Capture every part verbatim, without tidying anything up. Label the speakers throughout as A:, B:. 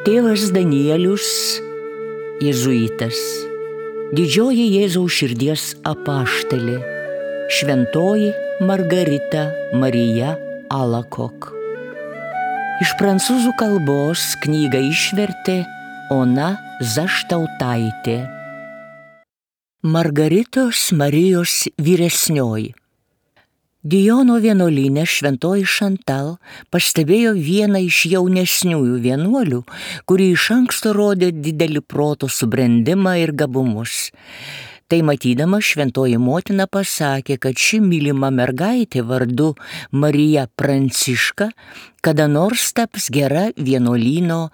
A: Tėvas Danielius, jėzuitas, didžioji Jėzaus širdies apaštalė, šventoji Margarita Marija Alacoque. Iš prancūzų kalbos knygą išvertė Ona Zaštautaitė. Margaritos Marijos vyresnioji. Dijono vienuolyne šventoji Šantal pastebėjo vieną iš jaunesniųjų vienuolių, kuri iš anksto rodė didelį proto subrendimą ir gabumus. Tai matydama šventoji motina pasakė, kad ši mylima mergaitė vardu Marija Pranciška kada nors taps gera vienuolyno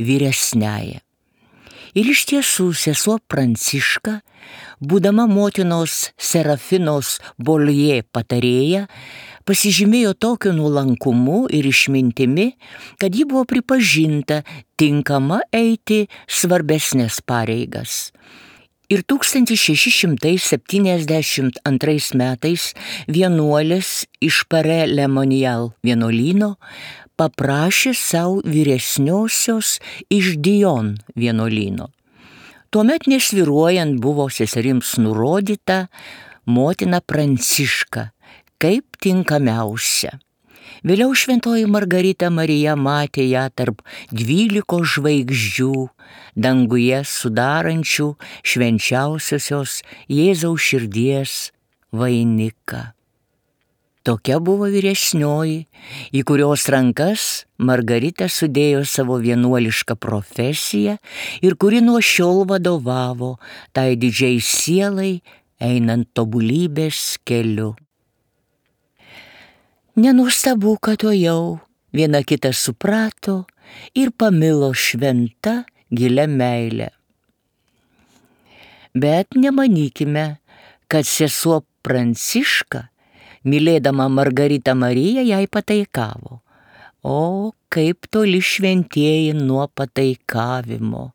A: vyresniaja. Ir iš tiesų sesuo Pranciška, būdama motinos Serafinos Boljė patarėja, pasižymėjo tokiu nuolankumu ir išmintimi, kad ji buvo pripažinta tinkama eiti svarbesnės pareigas. Ir tūkstantis šeši šimtai septyniasdešimt antrais metais vienuolės iš Pare Le Monial vienuolyno paprašė savo vyresniosios iš Dijon vienuolyno. Tuomet nesvyruojant buvo seserims nurodyta motina Pranciška kaip tinkamiausia. Vėliau šventoji Margarita Marija matė ją tarp dvylikos žvaigždžių danguje sudarančių švenčiausiosios Jėzaus širdies vainiką. Tokia buvo vyresnioji, į kurios rankas Margarita sudėjo savo vienuolišką profesiją ir kuri nuo šiol vadovavo tai didžiai sielai einant tobulybės keliu. Nenuostabu, kad to jau viena kitą suprato ir pamilo šventa gilia meile. Bet nemanykime, kad sesuo Pranciška, mylėdama Margaritą Mariją, jai pataikavo. O kaip toli šventieji nuo pataikavimo.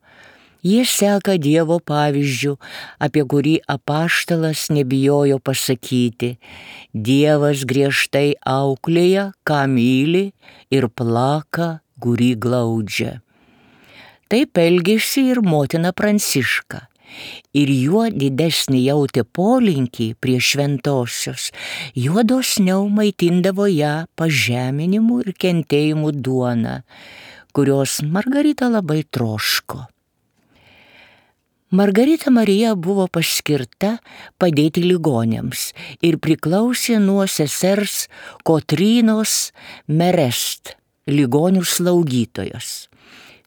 A: Jie seka Dievo pavyzdžiu, apie kurį apaštalas nebijojo pasakyti: Dievas griežtai auklėja, ką myli, ir plaka, kurį glaudžia. Taip elgėsi ir motina Pranciška. Ir juo didesnį jautė polinkį prie šventosios, juo dosniau maitindavo ją pažeminimu ir kentėjimu duona, kurios Margarita labai troško. Margarita Marija buvo paskirta padėti ligoniams ir priklausė nuo sesers Kotrynos Merest, ligonių slaugytojos.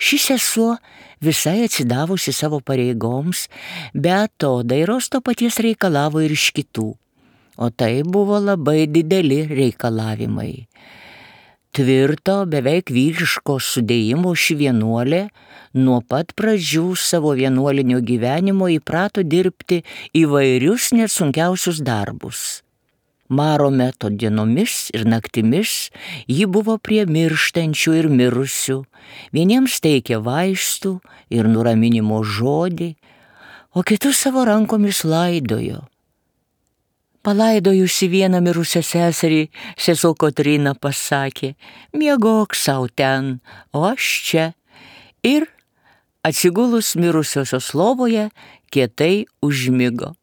A: Ši sesuo visai atsidavusi savo pareigoms, bet atodairos to paties reikalavo ir iš kitų, o tai buvo labai dideli reikalavimai. Tvirto, beveik vyriško sudėjimo ši vienuolė nuo pat pradžių savo vienuolinio gyvenimo įprato dirbti įvairius net sunkiausius darbus. Maro meto dienomis ir naktimis ji buvo prie mirštančių ir mirusių, vieniems teikė vaistų ir nuraminimo žodį, o kitus savo rankomis laidojo. Palaidojusi vieną mirusią seserį, sesuo Kotryna pasakė: miegok sau ten, o aš čia. Ir atsigulus mirusiosios lovoje kietai užmigo.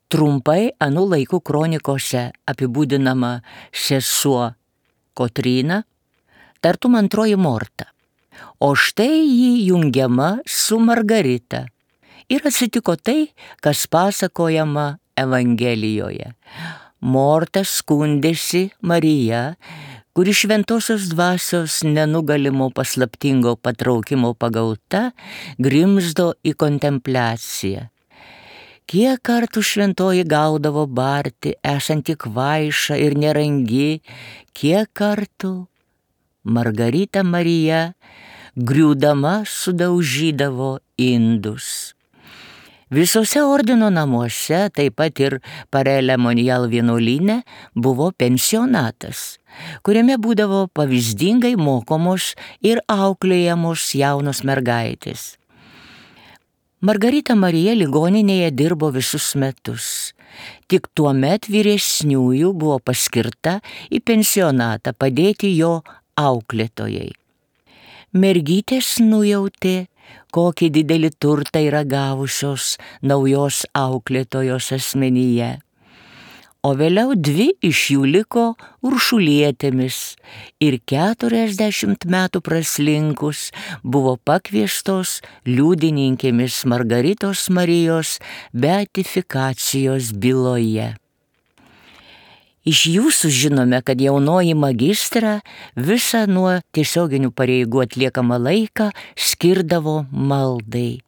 A: Trumpai anų laikų kronikose apibūdinama sesuo Kotryna, tartum antroji Morta, o štai ji jungiama su Margarita. Ir atsitiko tai, kas pasakojama Evangelijoje. Morta skundėsi Marija, kuri šventosios dvasios nenugalimo paslaptingo patraukimo pagauta grimzdo į kontempliaciją. Kiek kartų šventoji gaudavo barti, esant tik kvaiša ir nerangi, kiek kartų Margarita Marija griūdama sudaužydavo indus. Visose ordino namuose, taip pat ir Pare Le Monial vienuolyne, buvo pensionatas, kuriame būdavo pavyzdingai mokomos ir auklėjamos jaunos mergaitės. Margarita Marija ligoninėje dirbo visus metus. Tik tuomet vyresniųjų buvo paskirta į pensionatą padėti jo auklėtojai. Mergytės nujautė, kokį didelį turtą yra gavusios naujos auklėtojos asmenyje. O vėliau dvi iš jų liko Uršulietėmis ir keturiasdešimt metų praslinkus buvo pakviestos liudininkėmis Margaritos Marijos beatifikacijos byloje. Iš jų sužinome, kad jaunoji magistra visą nuo tiesioginių pareigų atliekamą laiką skirdavo maldai.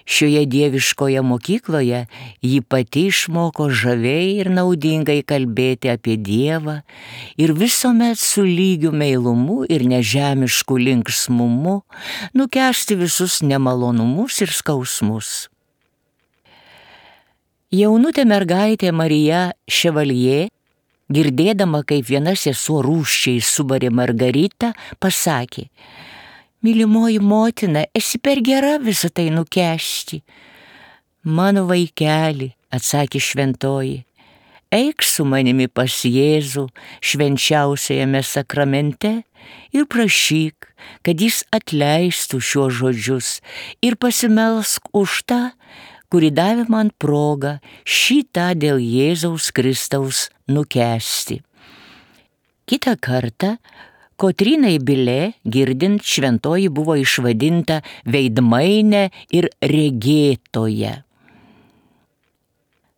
A: Šioje dieviškoje mokykloje ji pati išmoko žaviai ir naudingai kalbėti apie Dievą ir visuomet su lygiu meilumu ir nežemišku linksmumu nukęsti visus nemalonumus ir skausmus. Jaunutė mergaitė Marija Ševaljė, girdėdama, kaip viena sesuo rūsčiai subarė Margaritą, pasakė: "Mylimoji motina, esi per gera visą tai nukęsti." "Mano vaikeli," atsakė šventoji, "eik su manimi pas Jėzų švenčiausiajame sakramente ir prašyk, kad jis atleistų šiuos žodžius ir pasimelsk už tą, kuri davė man progą šitą dėl Jėzaus Kristaus nukęsti." Kitą kartą Kotrynai Bilė girdint, šventoji buvo išvadinta veidmainė ir regėtoja.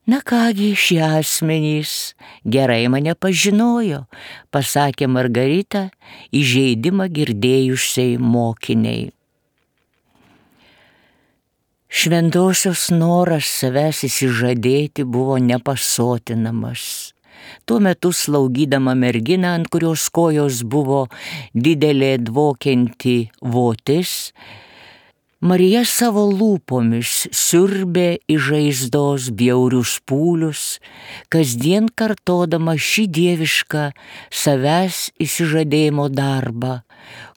A: "Na kągi, šie asmenys gerai mane pažinojo," pasakė Margarita įžeidimą girdėjusiai mokiniai. Šventosios noras savęs įsižadėti buvo nepasotinamas. Tuo metu slaugydama merginą, ant kurios kojos buvo didelė dvokianti votis, Marija savo lūpomis siurbė iš žaizdos bjaurius pūlius, kasdien kartodama šį dievišką savęs įsižadėjimo darbą,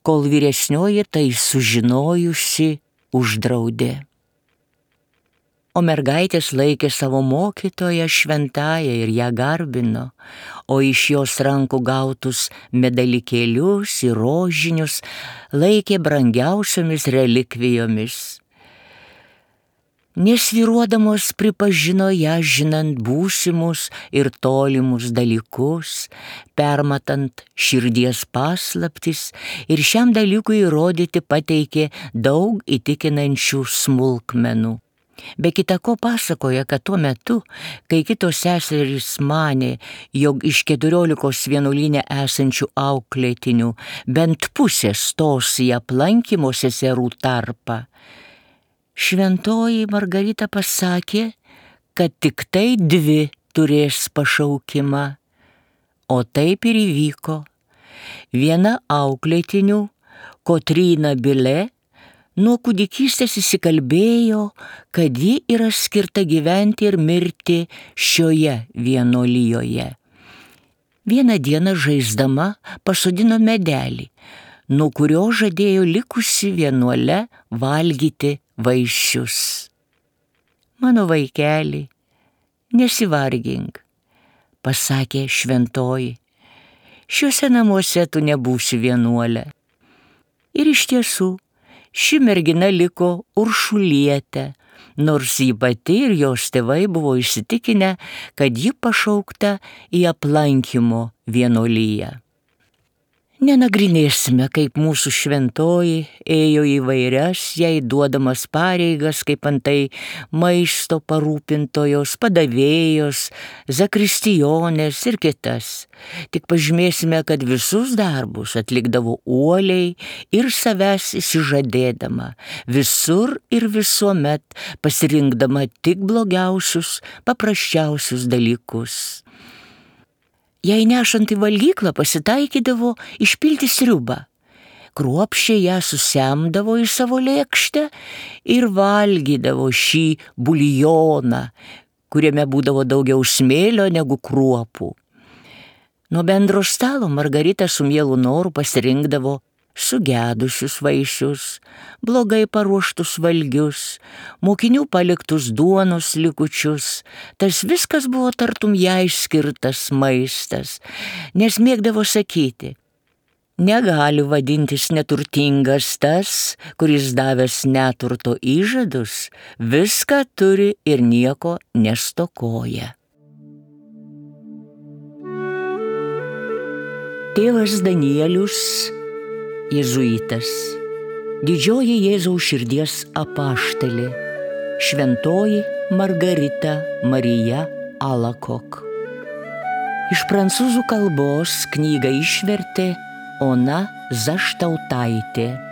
A: kol vyresnioji tai sužinojusi uždraudė. O mergaitės laikė savo mokytoją šventąją ir ją garbino, o iš jos rankų gautus medalikėlius ir rožinius laikė brangiausiomis relikvijomis. Nesvyruodamos pripažino ją žinant būsimus ir tolimus dalykus, permatant širdies paslaptis ir šiam dalykui įrodyti pateikė daug įtikinančių smulkmenų. Be kita ko pasakoja, kad tuo metu, kai kitos seserys manė, jog iš keturiolikos vienuolyne esančių auklėtinių bent pusė stos į aplankymo seserų tarpą, šventoji Margarita pasakė, kad tik tai dvi turės pašaukimą. O taip ir įvyko. Viena auklėtinių, Kotryna Bilė, nuo kūdikystės įsikalbėjo, kad ji yra skirta gyventi ir mirti šioje vienuolijoje. Vieną dieną žaisdama pasodino medelį, nuo kurio žadėjo likusi vienuole valgyti vaisius. "Mano vaikeli, nesivargink," pasakė šventoji, "šiuose namuose tu nebūsi vienuolė." Ir iš tiesų, ši mergina liko Uršulietė, nors ji pati ir jos tėvai buvo įsitikinę, kad ji pašaukta į aplankymo vienuoliją. Nenagrinėsime, kaip mūsų šventoji ėjo įvairias jai duodamas pareigas, kaip antai maisto parūpintojos, padavėjos, zakristijonės ir kitas. Tik pažymėsime, kad visus darbus atlikdavo uoliai ir savęs įsižadėdama, visur ir visuomet pasirinkdama tik blogiausius, paprasčiausius dalykus. Jei nešant į valgyklą pasitaikydavo išpilti sriubą, kruopščiai ją susemdavo į savo lėkštę ir valgydavo šį buljoną, kuriame būdavo daugiau smėlio negu kruopų. Nuo bendro stalo Margarita su mielu noru pasirinkdavo sugedusius vaisius, blogai paruoštus valgius, mokinių paliktus duonos likučius. Tas viskas buvo tartum jai skirtas maistas, nes mėgdavo sakyti: Negali vadintis neturtingas tas, kuris davęs neturto įžadus, viską turi ir nieko nestokoja. Tėvas Danielius, jėzuitas, didžioji Jėzaus širdies apaštalė, šventoji Margarita Marija Alakok. Iš prancūzų kalbos knygą išvertė Ona Zaštautaitė.